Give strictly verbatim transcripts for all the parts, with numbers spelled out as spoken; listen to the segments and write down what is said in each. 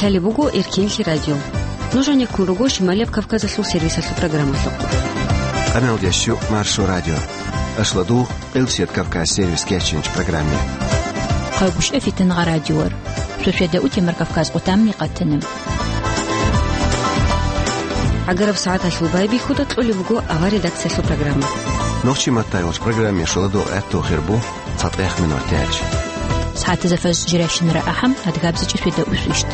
Лъалеб буго Эркинлъи радио. Нуж гьанеккун руго Шималияб Кавказалъул сервисалъул программалъухъ. Къаналдеш щук Маршо радио. Ашладу Къилсият Кавказ сервис кечинч программе. Хъагушев Фитнагъа радиор. Шошеда утемар Кавказ къутамни къатана. ГӀагараб сагӀаталъул байбихьуда кьолеб буго авар редакциялъул программа. Нохчи маттайолч программе шуладу гӀатту хирбу. ЦатӀех минор тяч. СагӀатазда фаз жиращинара ахӀам, адгабзичӀи фида усвищт.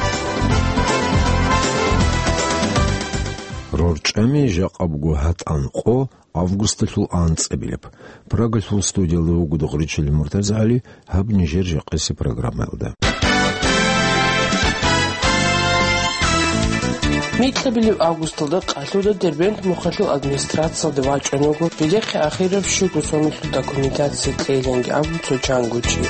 РорчӀами жакъа буго гьатӀан къо августалъул анцӀабилеб. Прагалъул студиялда вуго Догъричил МуртазагӀали, гьаб нижер жакъаси программаялда. Микьабилеб августалда къалъуда Дербент мухъалъул администрациялде вачӀун вуго, жидехъе ахираб щуго соналъул документация кьейиланги абун цо чангучи.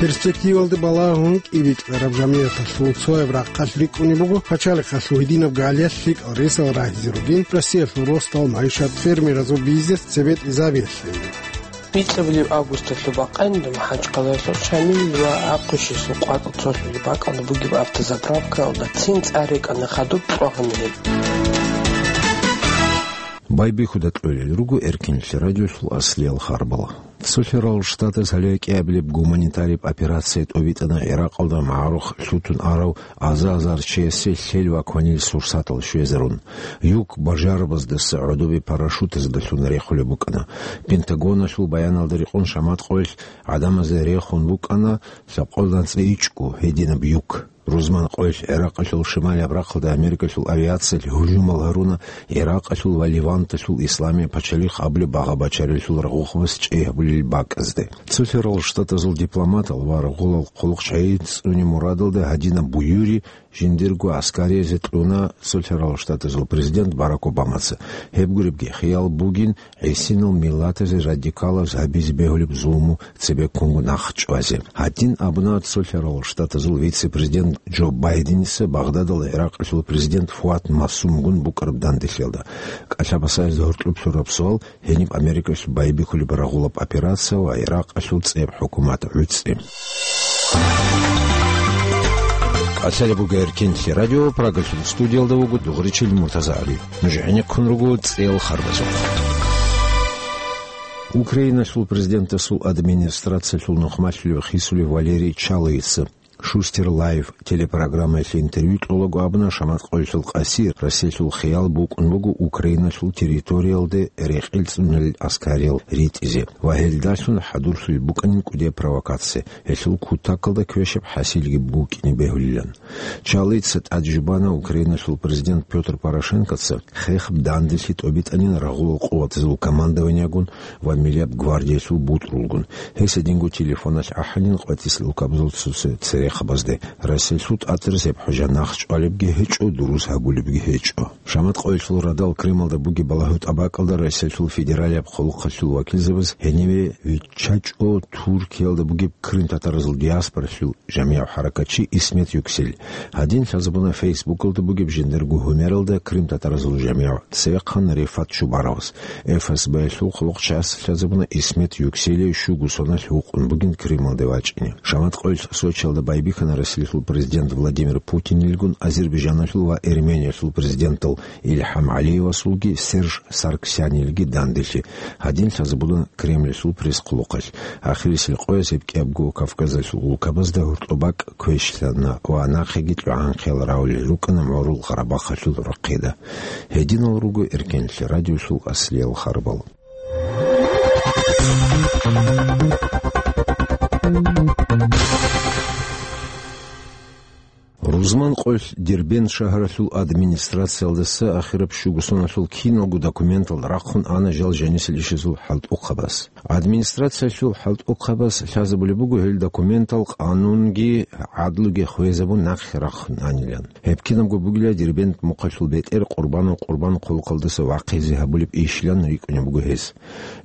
Перспективалда балагьун кӀибитӀараб жамигӀаталъул цояб рахъалъ рикӀкӀунеб буго пачалихъалъул гьединаб галиялъ лъикӀал ресал рагьизе ругин, Россиялъул росдал, майшат, фермеразул бизнес цебетӀизабиялъе. Микьабилеб августалъул бакъанила МахӀачкъалаялъул Шамил ва Ахъушисул къватӀал цолъулеб бакӀалда бугеб автозаправкаялда цин цӀар рекӀана хадуб кьвагъанилан. Байбихьуда кьолел руго Эркинлъи радиолъул аслиял харбал. Цолъарал Штатаз гьале кӀиабилеб гуманитариб операция тӀобитӀана ГӀиракъалда магӀарухъ лъутун арав аза-азар чиясе лъел ва кванил сурсатал щвезарун. Юг бажарабаздаса гӀодобе парашютаздалъун рехулеб букӀана. Пентагоналъул баяналда рекъон шаматкъоялъ гӀадамазда рехун букӀана лъабкъоялда анцӀила ичӀго гьединаб юг. Рузман къоялъ ГӀиракъалъул шималияб рахъалда Америкалъул авиациялъ гьужумал гьаруна ГӀиракъалъул ва Леванталъул исламияб пачалихъ абулеб багъа-бачаралъул рагъухъабаз чӀей гьабулел бакӀазде. Цолъарал Штатазул дипломатал ва рагъулал хъулухъчагӀи цӀуне мурадалда гьадинаб буюри жиндирго гӀаскариязе кьуна Цолъарал Штатазул президент Барак Обамаца. Гьеб гуребги хиял бугин гӀисинал миллатазе радикалаз гьабизе бегьулеб зулму цебеккунго нахъ чӀвазе. Гьадин абуна Цолъарал Штатазул вице-президент Джо Байденица Багъдадалда ГӀиракъалъул президент Фуад Масумгун букӀараб данделъиялда. КӀалъабасазе гьоркьоб лъураб суал: гьениб Америкалъ байбихьулеб рагъулаб операция ва ГӀиракъалъул цӀеб хӀукумат гӀуцӀи. КӀалъалеб буго Эркинлъи радио, Прагалъул студиялда вуго Дугъричил МуртазагӀали. Нуж гӀенеккун руго цӀел харбазухъ. Украиналъул президентасул администрациялъул нухмалъулев хисулев Валерий Чалыйица Шустер Лайв телепрограммаялъе интервью кьолаго абуна, шаматкъоялъул къаси Россиялъул хиял букӀун буго Украиналъул территориялде рекъел цӀунулел аскариял ритӀизе ва гьелдалъун хӀадурлъулеб букӀанин кӀудияб провокация, гьелъул кутакалда квешаб хӀасилги букӀине бегьулилан. Чалыйица тӀад жубана Украиналъул президент Пётр Порошенкоца хехаб данделъи тӀобитӀанин рагъулал къуватазул командованиягун ва Миллияб гвардиялъул бутӀрулгун. Гьес гьединго телефоналъ ахӀанин къватӀисел улкабазул цо-цо церехъабазде. Россиялъул тӀатӀаразеб хӀужа нахъ чӀвалебги гьечӀо, дурус гьабулебги гьечӀо. Шаматкъоялъул радал Крымалда бугеб балагьу тӀабакӀалда Россиялъул федералияб хъулухъалъул вакилзабаз гьениве виччачӀо Туркиялда бугеб крымтатаразул диаспоралъул жамигӀ хӀаракатчи Исмет Юксел. Гьадин лъазабуна Фейсбукалда бугеб жиндирго гьумералда крымтатаразул жамигӀ цевехъан Рефат Чубаровас. ФСБ-ялъул хъулухъчияс лъазабуна Исмет Юкселие щуго соналъ вукъун бугин Крымалде вачӀине. Шаматкъоялъ Сочиялда байбихьана Россиялъул президент Владимир Путинилгун Азербайджаналъул ва Эрмениялъул президентал Илхам ГӀалиевасулги Серж Саргсянилги данделъи. Гьадин лъазабуна Кремльалъул пресс-хъулухъалъ. Ахирисел къояз гьеб кӀиябго Кавказалъул улкабазда гьоркьоб бакӀ квешлъана ва нахъеги кьогӀанхъиял равулел рукӀана МгӀурул Къарабахъалъул рахъеда. Гьединал руго Эркенлъи радиолъул аслиял харбал. Рузман къоялъ Дербент шагьаралъул администрациялдаса ахираб щуго соналъул киналго документал рахъун ана жал жанисел ишазул хӀалтӀухъабаз. Администрациялъул хӀалтӀухъабаз лъазабулеб буго гьел документал къанунги гӀадлуги хвезабун нахъе рахъун анилан. Гьеб кинабго бугила Дербент мухъалъул бетӀер Къурбанов Къурбан хъулухъалдаса вахъизе гьабулеб ишилан рикӀкӀунеб буго гьез.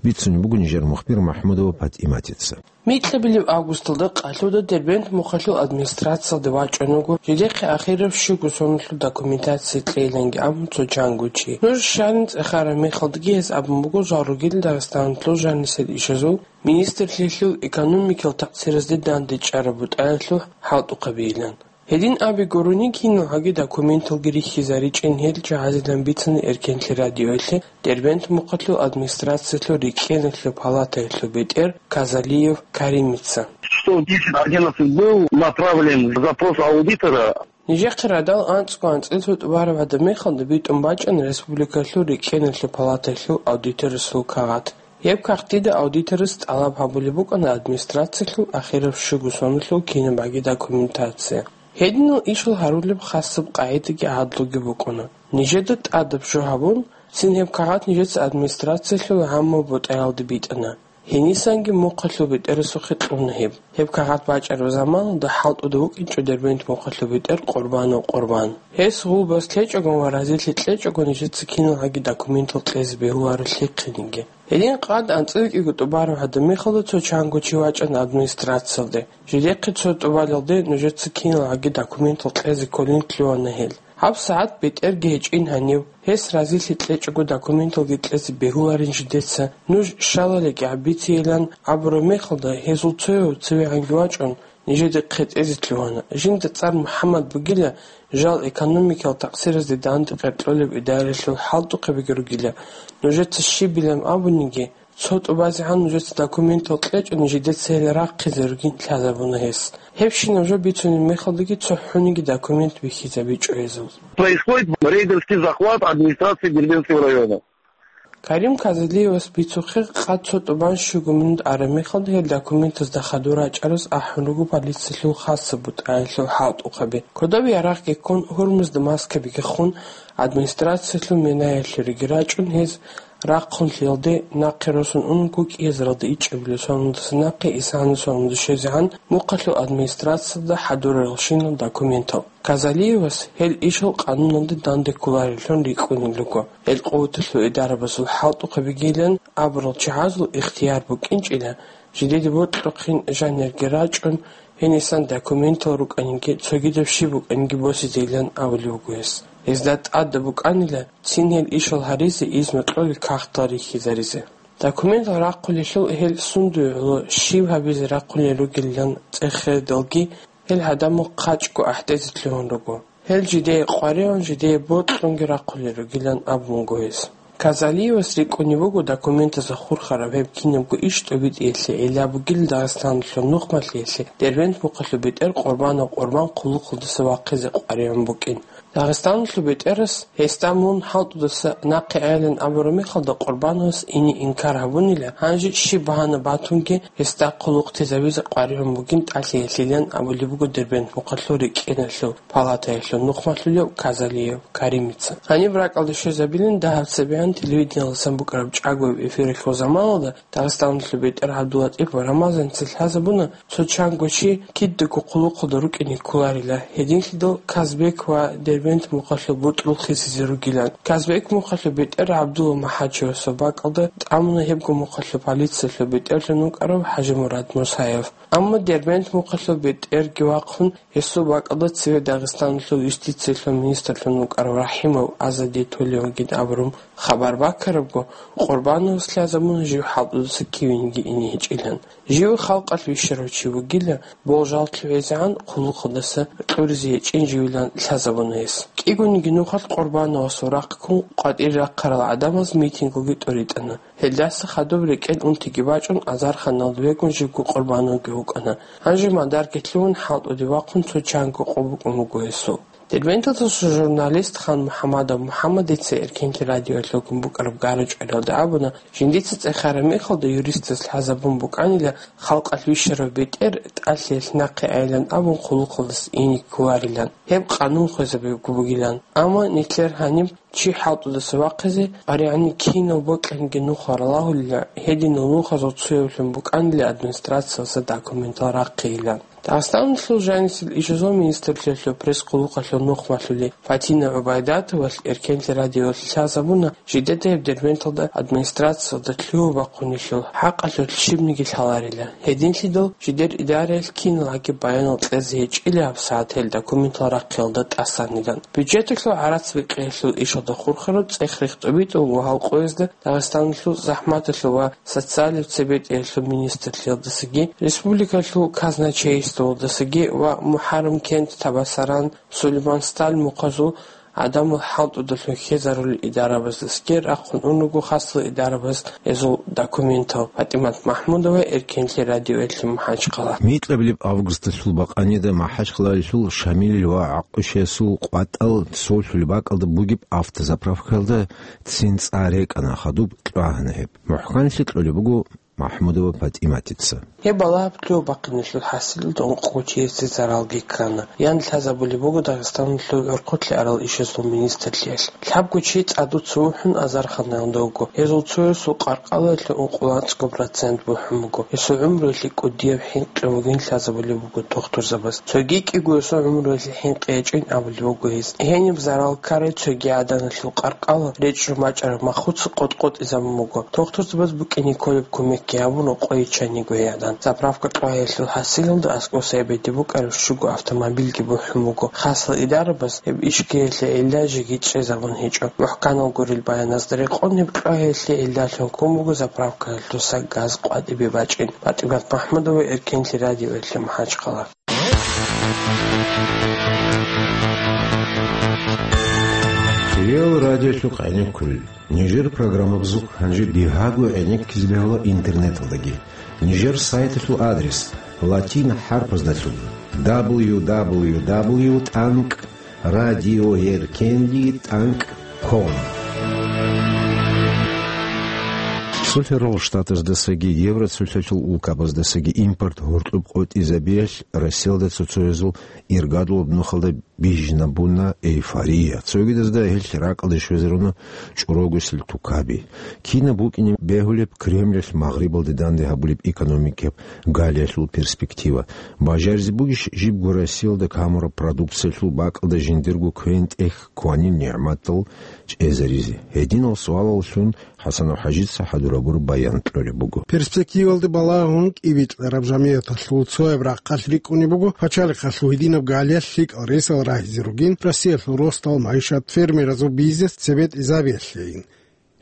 Бицунеб буго нижер мухбир МахӀмудова ПатӀиматица. Микьабилеб августалда къалъуда Дербент мухъалъул администрациялде вачӀун вуго жидехъе ахираб щуго соналъул документация кьейиланги абун цо чангучи. Нуж щайин цӀехараб мехалдаги гьес абун буго жал ругел Дагъистаналъул жанисел ишазул министрлъиялъул экономикал такъсиразде дандечӀараб бутӀаялъул хӀалтӀухъабийилан. Гьедин абиго гурони, киналгӀаги документалги рихьизаричӀин гьел жагьазилан бицана Эркенлъи радиоялъе Дербент мухъалъул администрациялъул рикӀкӀиналъул палатаялъул бетӀер Казалиев Каримица. Что десять одиннадцать был направлен запрос аудитора. Нижехъе радал анцӀго анцӀил цо тӀубараб гӀадаб мехалда битӀун бачӀана республикалъул рикӀкӀиналъул палатаялъул аудиторасул кагъат. Гьеб кагътида аудиторас тӀалаб гьабулеб букӀана администрациялъул ахираб щуго соналъул кинабгӀаги документация. Гьединал ишал гьарулеб хасаб къагӀидаги гӀадлуги букӀуна. Нижеда тӀадаб жо гьабун, цин гьеб кагъат нижеца администрациялъул гӀаммаб бутӀаялде битӀана. Гьенисанги мухъалъул бетӀерасухъе кьуна гьеб. Гьеб кагъат бачӀараб заманалда хӀалтӀуда вукӀинчӀо Дербент мухъалъул бетӀер Къурбанов Къурбан. Гьес гъулбас лъечӀого ва разилъи кьечӀого нижеца киналгӀаги документал кьезе бегьуларо лъихъениги. Гьедин къад анцӀила кӀиго тӀубараб гӀадаб мехалда цо чанго чи вачӀана администрациялде. Жидехъе цо тӀубалелде нужеца киналгӀаги документал кьезе кколин лъугьана гьел. ГьабсагӀат бетӀерги гьечӀин гьанив, гьес разилъи кьечӀого документалги кьезе бегьуларин жидеца, нуж щалалиги гӀабитейилан абураб мехалда, гьезул цояв цевегӀанги вачӀун, нижеда хъетӀезе лъугьана. Жинда цӀар МухӀаммад бугила, жал экономикал такъсиразде данде къеркьолеб идараялъул хӀалтӀухъабиги ругила. Нужеца щибилан абуниги, цо тӀубазегӀан нужеца документал кьечӀони, жидеца гьел рахъизе ругин лъазабуна гьес. Гьебщинаб жо бицунеб мехалдаги цохӀониги документ бихьизабичӀо гьезул. Происходит рейдерский захват администрации Дербентского района. Карим Казалиевас бицухъе, къад цо тӀубан щуго минут араб мехалда гьел документазда хадур рачӀараз ахӀун руго полициялъул хасаб бутӀаялъул хӀалтӀухъаби. Кодоб ярагъги ккун, гьурмузда маскабиги хун, администрациялъул менаялъуриги рачӀун, гьез рахъун лъиялде нахъе росун унаго кӀиазаралда ичӀабилеб соналдаса нахъе исгӀана соналда щвезегӀан мухъалъул администрациялда хӀадураралщинал документал. Казалиевас гьел ишал къануналде данде кколареллъун рикӀкӀунел руго. Гьел къуваталъул идарабазул хӀалтӀухъабигилан абурал чагӀазул ихтияр букӀинчӀила, жидеде бокьухъин жанирги рачӀун, гьенисан документал рукӀаниги, цогидаб щиб букӀаниги босизейилан абулеб буго гьес. Гьезда тӀадаб букӀанила, цин гьел ишал гьаризе изну кьолел кагътал рихьизаризе. Документал рахъулелъул гьел сундуе гӀоло щиб гьабизе рахъулел ругелилан цӀехередалги, гьел гӀадамал хъачӀго ахӀдезе лъугьун руго. Гьел жидее къваригӀун, жидее бокьунги рахъулел ругилан абун буго гьес. Казалиевас рикӀкӀунеб буго документазда хурхараб гьеб кинабго иш тӀобитӀиялъе, гӀилла бугила Дагъистаналъул нухмалъиялъе Дербент мухъалъул бетӀер Къурбанов Къурбан хъулухъалдаса вахъизе къваригӀун букӀин. Дагъистаналъул бетӀерас гьесда мун хӀалтӀудаса нахъе айилан абураб мехалда, Къурбановас ине инкар гьабунила, гьанже щиб багьана батунги гьесда хъулухътезабизе къваригӀун бугин тӀалъиялъилан абулеб буго Дербент мухъалъул рикӀкӀиналъул палатаялъул нухмалъулев Казалиев Каримица. Гьаниб ракӀалде щвезабилин дагьаб цебегӀан телевидениялдасан букӀараб чӀаголеб эфиралъул заманалда Дагъистаналъул бетӀер ГӀабдуллатӀипов Рамазаница лъазабуна, цо чанго чи кидаго хъулухъалда рукӀине кколарила, гьединлъидал Казбек ва Дербент мухъалъул бутӀрул хисизе ругилан. Казбек мухъалъул бетӀер ГӀабдулла МахӀачевасул бакӀалда тӀамуна гьебго мухъалъул полициялъул бетӀерлъун вукӀарав ХӀажимурад Мусаев. Амма Дербент мухъалъул бетӀерги вахъун, гьесул бакӀалда цеве Дагъистаналъул юстициялъул министрлъун вукӀарав РахӀимов Азаде толевгин абурун хабар баккарабго, Къурбановас лъазабуна жив хӀалтӀудаса кивениги ине гьечӀилан. Жив халкъалъ вищарав чи вугила, болжал лъугӀизегӀан хъулухъалдаса кьуризе гьечӀин живилан лъазабуна гьес. КӀигониги нухалъ Къурбановасул рахъ ккун къватӀире рахъарал гӀадамаз митингуги тӀуритӀана. Гьелдаса хадуб рекӀел унтиги бачӀун, азарханалда вегун живго Къурбановги вукӀана. Гьанже мадарги лъугьун, хӀалтӀуде вахъун цо чанго къо букӀун буго гьесул. Дербенталдаса журналист Хан МухӀамадов МухӀамадица Эркенлъи радиоялъулгун букӀараб гара-чӀвариялда абуна, жиндица цӀехараб мехалда юристас лъазабун букӀанила, халкъалъ вищарав бетӀер тӀалъиялъ нахъе айилан абун хъулухъалдаса ине кколарилан, гьеб къанун хвезабиго бугилан. Амма нилъер гьаниб чи хӀалтӀудаса вахъизе, къваригӀунеб кинав бокьанги нуха ралагьулила, гьединал нухазул цоявлъун букӀанила администрациялдаса документал рахъейилан. Дагъистаналъул жанисел ишазул министрлъиялъул пресс-хъулухъалъул нухмалъулев Фатина ГӀубайдатовалъ Эркенлъи радиоялъе лъазабуна, жидеда гьеб Дербенталда администрациялда лъугьа-бахъунелъул хӀакъалъулъ щибниги лъаларила. Гьединлъидал жидер идараялъ киналгӀаги баянал кьезе гьечӀила гьабсагӀат гьел документал рахъиялда тӀасанилан. Бюджеталъул гӀарац бикъиялъул ишалда хурхараб цӀех рихтӀобитӀун ва гьалкъуязда Дагъистаналъул захӀматалъул ва социалияб цебетӀиялъул министрлъиялдасаги республикалъул казначейс Цолдасаги ва МухӀаррам кент, Табасаран, Сулейманстал мухъазул гӀадамал хӀалтӀудалъун хьезарулел идарабаздаскӀер рахъун унаго хасал идарабаз гьезул документал. ПатӀимат МахӀмудова, Эркенлъи радиоялъе, МахӀачхъала. Микьабилеб августалъул бакъанида МахӀачхъалалъул Шамилил ва ГӀакъушиясул къватӀал цолъулеб бакӀалда бугеб автозаправкаялда цин цӀа рекӀана, хадуб кьвагьана гьеб. МухӀканлъи кьолеб буго МахӀмудова ПатӀиматица. Гьеб балагьаблъи бахъиналъул хӀасилалда ункъго чиясе заралги ккана. Ян лъазабулеб буго Дагъистаналъул гӀурхъулъе арал ишазул министрлъиялъ. Лъабго чи цӀадуца вухӀун азарханаялда вуго. Гьезул цоясул къаркъалаялъе ункъоялда анцӀго процент бухӀун буго. Гьесул гӀумруялъе кӀудияб хӀинкъи бугин лъазабулеб буго тухтурзабаз. Цоги кӀиго гьесул гӀумруялъе хӀинкъи гьечӀин абулеб буго гьез. Гьениб зарал ккарай цоги гӀаданалъул къаркъала речӀчӀун бачӀараб махуца къотӀ-къотӀизабун буго. Тухтурзабаз букӀине кколеб кумекги гьабун, рокъой иччаниго гьей гӀадан. Заправка кьвагьиялъул хӀасилалда аскӀоса гьеб гьедин букӀараб щуго автомобильги бухӀун буго. Хасал идарабаз гьеб ишкиялъе гӀилла жеги чӀезабун гьечӀо. МухӀканал гурел баяназда рекъон, гьеб кьвагьиялъе гӀиллалъун ккун буго заправкаялдаса газ къватӀибе бачӀин. ПатӀимат МахӀмудова, Эркенлъи радиоялъе, МахӀачхъала. Реал радиолъухъ гӀенеккулел. Нижер программабазухъ гьанже бигьаго гӀенеккизе бегьула интернеталдаги. Нижер сайталъул адрес латин хӀарпаздалъун: дабл ю дабл ю дабл ю тӀанкӀ радиоеркенлъи тӀанкӀ ком. Цолъарал Штатаздасаги Евроцолъалъул улкабаздасаги импорт гьоркьоб къотӀизабиялъ Россиялда цо-цоязул иргадулаб нухалда бижинабуна эйфория. Цогидазда гьелъ ракӀалде щвезаруна чӀорогосел тукаби. Кинаб букӀине бегьулеб Кремлалъ Магърибалде данде гьабулеб экономикияб галиялъул перспектива? Бажаризе бугищ жибго Россиялда камураб продукциялъул бакӀалда жиндирго квен-тӀех кванил нигӀматал чӀезаризе? Гьединал суалаллъун ХӀасанов ХӀажица хӀадурабур баян кьолеб буго. Перспективалде балагьун кӀибитӀараб жамигӀаталъул цояб рахъалъ рикӀкӀунеб буго пачалихъалъул гьединаб галиялъ лъикӀал ресал рагьизе ругин Россиялъул росдал, магӀишат, фермеразул бизнес цебетӀезабиялъейин.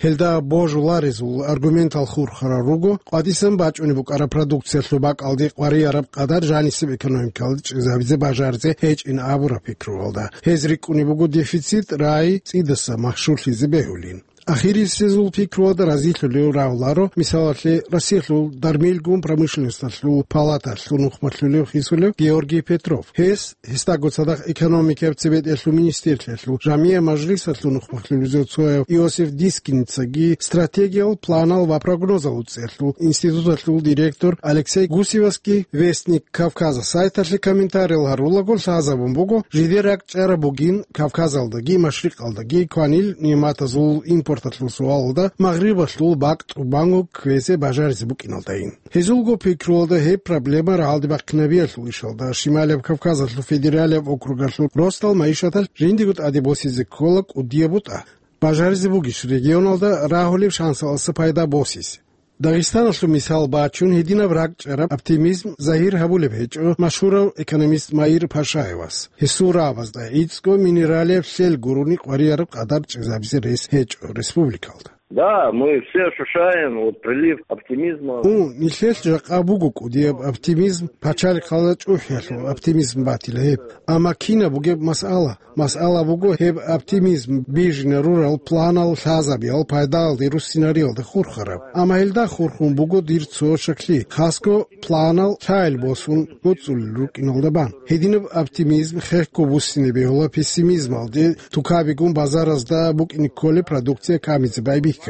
Гьелда божуларезул аргументал хурхарал руго къватӀисан бачӀунеб букӀараб продукциялъул бакӀалде къварияраб къадар жанисеб экономикалда чӀезабизе бажаризе гьечӀин абураб пикруялда. Гьез рикӀкӀунеб буго дефицит рагӀи цӀидаса машгьурлъизе бегьулин. Ахирисезул пикруялда разилъулев рагьуларо, мисалалъе, Россиялъул дармилгун промышленносталъул палаталъул нухмалъулев хисулев Георгий Петров. Гьес, гьесдаго цадахъ экономикаяб цебетӀелъул министрлъиялъул жамигӀ мажлисалъул нухмалъулевзул цояв Иосиф Дискиницаги, стратегиял планал ва прогнозал цӀерлъул институталъул директор Алексей Гусевасги Вестник Кавказа сайталъе комментариял гьарулаго лъазабун буго, жидер ракӀчӀараб бугин Кавказалдаги Машрикъалдаги кванил нигӀматазул импорталъул суалалда Магърибалъул бакӀ тӀубанго кквезе бажаризе букӀиналдайин. Гьезулго пикруялда гьеб проблема рагӀалде бахъинабиялъул ишалда, Шималияб Кавказалъул федералияб округалъул росдал магӀишаталъ жиндиего тӀаде босизе ккола кӀудияб бутӀа. Бажаризе бугищ регионалда рагьулеб шансалъаса пайда босизе? Дагъистаналъул мисал бачун, гьединаб ракӀчӀараб оптимизм загьир гьабулеб гьечӀо машгьурав экономист Маир Пашаевас. Гьесул рагӀабазда гӀицӀго минералияб лъел гурони къварияраб къадар чӀезабизе рес гьечӀо республикалда. Да, мы все ощущаем вот прилив оптимизма. Ун, нилъелъ жакъа буго кӀудияб оптимизм, пачалихъалда чӀухӀиялъул оптимизм батила гьеб. Амма кинаб бугеб масъала? Масъала буго гьеб оптимизм бижине рурал планал лъазабиял пайдалде руссинариялда хурхараб. Амма гьелда хурхун буго дир цо шаклъи, хасго планал лъайил босун гьуцӀулел рукӀиналда бан. Гьединаб оптимизм хехго буссине бегьула пессимизмалде, тукабигун базаразда букӀине кколеб продукция камизе байбихьани.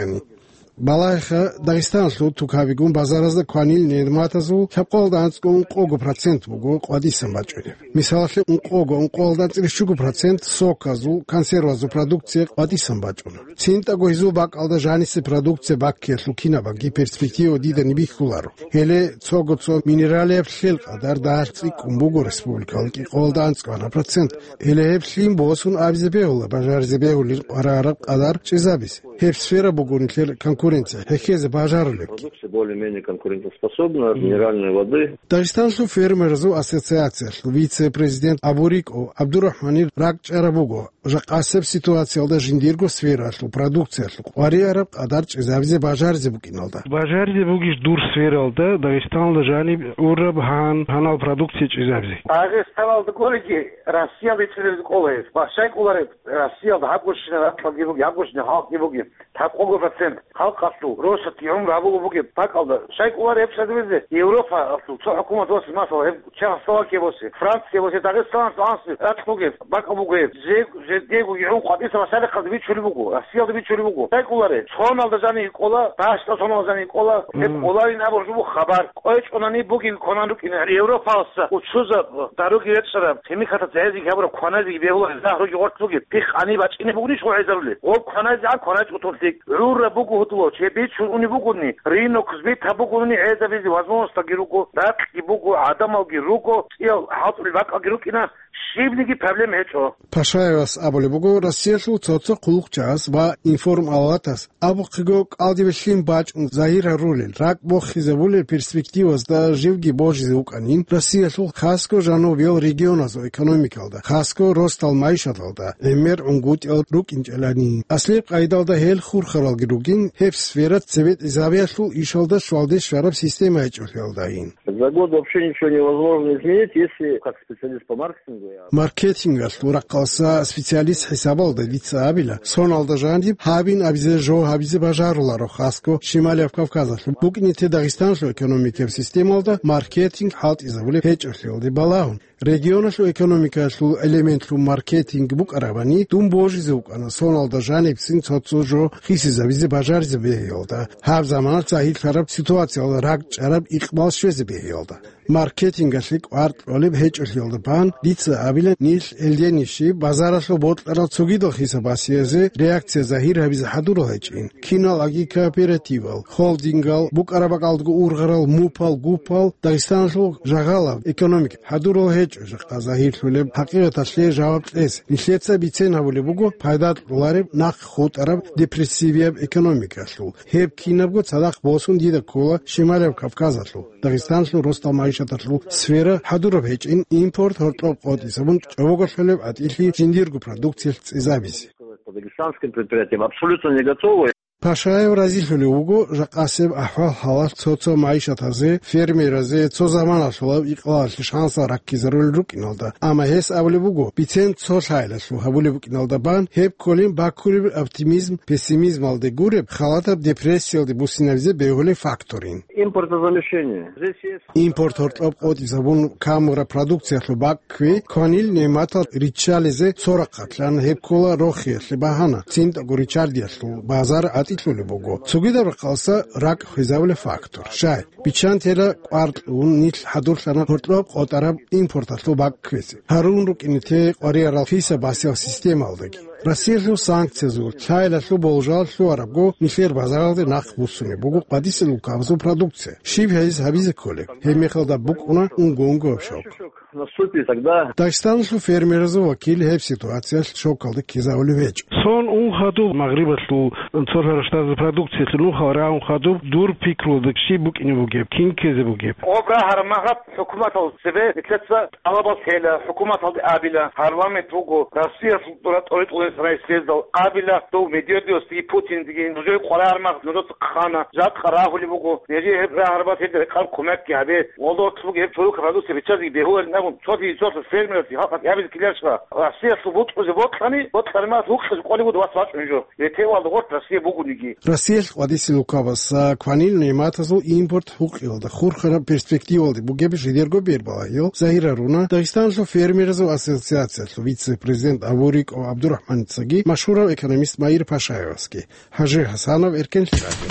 Балагьеха, Дагъистаналъул тукабигун базаразда кванил нигӀматазул лъабкъоялда анцӀго ункъого процент буго къватӀисан бачӀунеб. Мисалалъе, ункъого, ункъоялда анцӀила щуго процент соказул, консервазул продукция къватӀисан бачӀуна. ЦинтӀаго гьезул бакӀалда жанисе продукция баккиялъул кинабаги перспектива дидани бихьуларо. Гьеле цого-цо минералияб лъел къадар дагьалъ цӀикӀкӀун буго республикалда кӀикъоялда анцӀго процент. Гьеле гьеб лъим босун абизе бегьула бажаризе бегьулин къварараб къадар чӀезабизе. Гьеб сфера буго нилъер конкуренция хӀехьезе бажарулеб. Продукция более-менее конкурентоспособна, минеральной воды. Дагъистанлъул фермерзул ассоциациялъул вице-президент Абуриков ГӀабдурахӀманил ракӀчӀараб буго, жакъасеб ситуациялда жиндирго сфералъул продукциялъул къваригӀараб къадар чӀезабизе бажаризе букӀиналда. Бажаризе бугищ дур сфералда Дагъистаналда жаниб гӀураб гьан-, гьанал продукция чӀезабизе? Дагъистаналда гуриги, Россиялда ицӀилеб кӀола гьез. Бащай кӀолареб Россиялда гьабгощина ракьалги буги, гьабгощина халкъги буги. Лъабкъого процент халкъалъул росатги гӀумру гьабуго бугеб бакӀалда. Щай кӀолареб гьеб чӀезабизе? Европалъул цо хӀукумат босе, масала, гьеб Чехословакия босе, Франция босе, Дагъистаналъ анцӀ ракь бугеб бакӀал буго гьеб. Жег-, жегдего югӀун къватӀиса масалихъалда бичулеб буго, Россиялда бичулеб буго. Щай кӀолареб? Соналда жаниб кӀола, дагьашда соналда жаниб кӀола, гьеб Мгм. кӀоларин абураб жо буго хабар. КъвечӀонани бугин кванан рукӀине Европалъа учузаб, даруги речӀараб, химикатаца гьезиги гьабураб кваназеги бегьула, загьруги гъоркь бугеб, пихъ гьаниб бачӀине бугнищ гъо гьезарулел? Гъоб кваназе гьан кваначӀо тун лъикӀ. ГӀураб буго гьудулав, чеб бичун унеб бугони, рынок, сбит гьаб бугони гӀезабизе возможностьги руго, ракьги буго, гӀадамалги руго, цӀиял хӀалтӀулел бакӀалги рукӀина, щибниги проблем гьечӀо. Пашаевас абулеб буго, Россиялъул цо-цо хъулухъчагӀаз ва информалатас абухъего кӀалдибе лъим бачӀун загьир гьарулел, ракӀ бохизабулел перспективазда живги божизе вукӀанин, Россиялъул хасго жанубиял регионазул экономикалда, хасго росдал майишаталда гӀемер гӀунгутӀиял рукӀинчӀелани. Аслияб къайдалда гьел хурхаралги ругин, гьеб сфера цебетӀезабиялъул ишалда щвалде щвараб система гьечӀолъиялдайин. За год вообще ничего невозможно изменить, если как специалист по маркетингу я. Маркетингалъул рахъалъа специалист хӀисабалда дица абила, соналда жаниб гьабин абизе жо гьабизе бажаруларо хасго Шималияб Кавказалъул, букӀине те Дагъистаналъул экономикаяб системалда маркетинг хӀалтӀизабулеб гьечӀолъиялде балагьун. Регионалъул экономикалъул элементлъун маркетинг букӀарабани, дун божизе вукӀана соналда жанибцин цо-цо жо хисизабизе бажаризе бегьиялда, гьаб заманалъ загьирлъараб ситуациялда ракӀчӀараб икъбал щвезе бегьиялда. Маркетингалъе кӀвар кьолеб гьечӀолъиялда бан, дица абила, нилъ гьелденищи базаралъул бокьарал цогидал хисаб-басиязе реакция загьир гьабизе хӀадурал гьечӀин. Кинал аги кооперативал, холдингал, букӀараб бакӀалдаго ургъарал мупал-гупал Дагъистаналъул жагьалаб экономика хӀадурал гьечӀо жакъа загьирлъулеб хӀакъикъаталъе жаваб кьезе. Нилъеца бицен гьабулеб буго пайда кьолареб нахъ хутӀараб депрессивияб экономикалъул. Гьеб кинабго цадахъ босун дида ккола Шималияб Кавказалъул. Дагъистанлъул росдал майишаталъул сфера хӀадураб гьечӀин, импорт гьоркьоб къотӀисабун чӀобоголъулеб гӀатӀилъи жиндирго продукциялъ цӀезабизе. По дагестанским предприятиям абсолютно не готовы. Пашаев разилъулев вуго жакъасеб ахӀвал-хӀалалъ цо-цо майишатазе, фермеразе цо заманалъулаб икъалалъе шансал раккизарулел рукӀиналда, амма гьес абулеб буго, бицен цо лъайилалъул гьабулеб букӀиналда бан, гьеб кколин баккулеб оптимизм пессимизмалде гуреб, халатаб депрессиялде буссинабизе бегьулеб факторин. Импортозамещение. Здесь есть Импорт гьоркьоб къотӀизабун камураб продукциялъул баккви, кванил нигӀматал риччализе цо рахъалъан гьеб ккола рохиялъе багьана, цинтӀаго риччардиялъул базар гӀатӀилъулеб буго. Цогидаб рахъалъа ракӀ хвезабулеб фактор. Щай, биччан тела кӀвар кьун нилъ хӀадурлъана гьоркьоб къотӀараб импорталъул бакквезе. Гьарун рукӀине те къваригӀарал хисаб-басиял системалдаги. Россиялъул санкциязул, лъайилалъул болжал лъугьарабго нилъер базаралде нахъ буссунеб буго къватӀисел улкабазул продукция. Щиб гьез гьабизе кколеб? Гьеб мехалда букӀуна унго-унгояб щокь. Наступит тогда. Дагъистаналъул фермеразул вакил гьеб ситуациялъ щокалда ккезавулев гьечӀо. Сон ун хадуб Магърибалъул цо лъара штазул продукциялъе нухал рагӀун хадуб дур пикруялда щиб букӀине бугеб, кин ккезе бугеб? Гъоб рагьараб магьаб хӀукуматал цебе нилъеца тӀалабал лъела, хӀукуматалде абила, парламент вуго, Россиялъул дура тӀоритӀулес райсездал абила, дов Медведевасдеги Путиндеги, нужее къваригӀараб магьаб нужеца хъана, жакъа рагьулеб буго, нижее гьеб рагьарабаз гьеб рекъараб кумекги гьабе, гъолда гьоркьоб гьеб цо рукаб продукция биччазеги бегьуларин абун, цоги цо фермералъе халкъалъе абизе ккеларищха, Россиялъул бутӀрузе бокьани, бокьараб магьаб гьукъизе къолеб буго вас вачӀун жо. Ретевалда гъоркь Россия бугониги. Россиялъ къватӀисел улкабаз кванил нигӀматазул импорт гьукъиялда хурхараб перспективалде бугеб жидерго бербалагьил загьир гьаруна Дагъистаналъул фермеразул ассоциациялъул вице-президент Абуриков ГӀабдурахӀманицаги машгьурав экономист Маир Пашаевасги. Гьажи Гьасанов, Эркен Лъаби.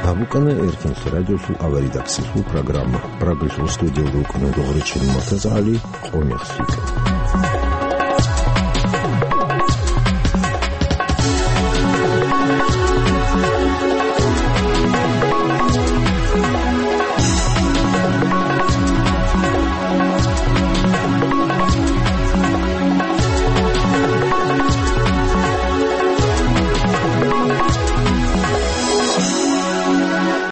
ГьабукӀана Эркенлъи радиолъул аваридаксилъул программа. Прагалъул студиялда вукӀана Догъричил МуртазагӀали, къонахлъи.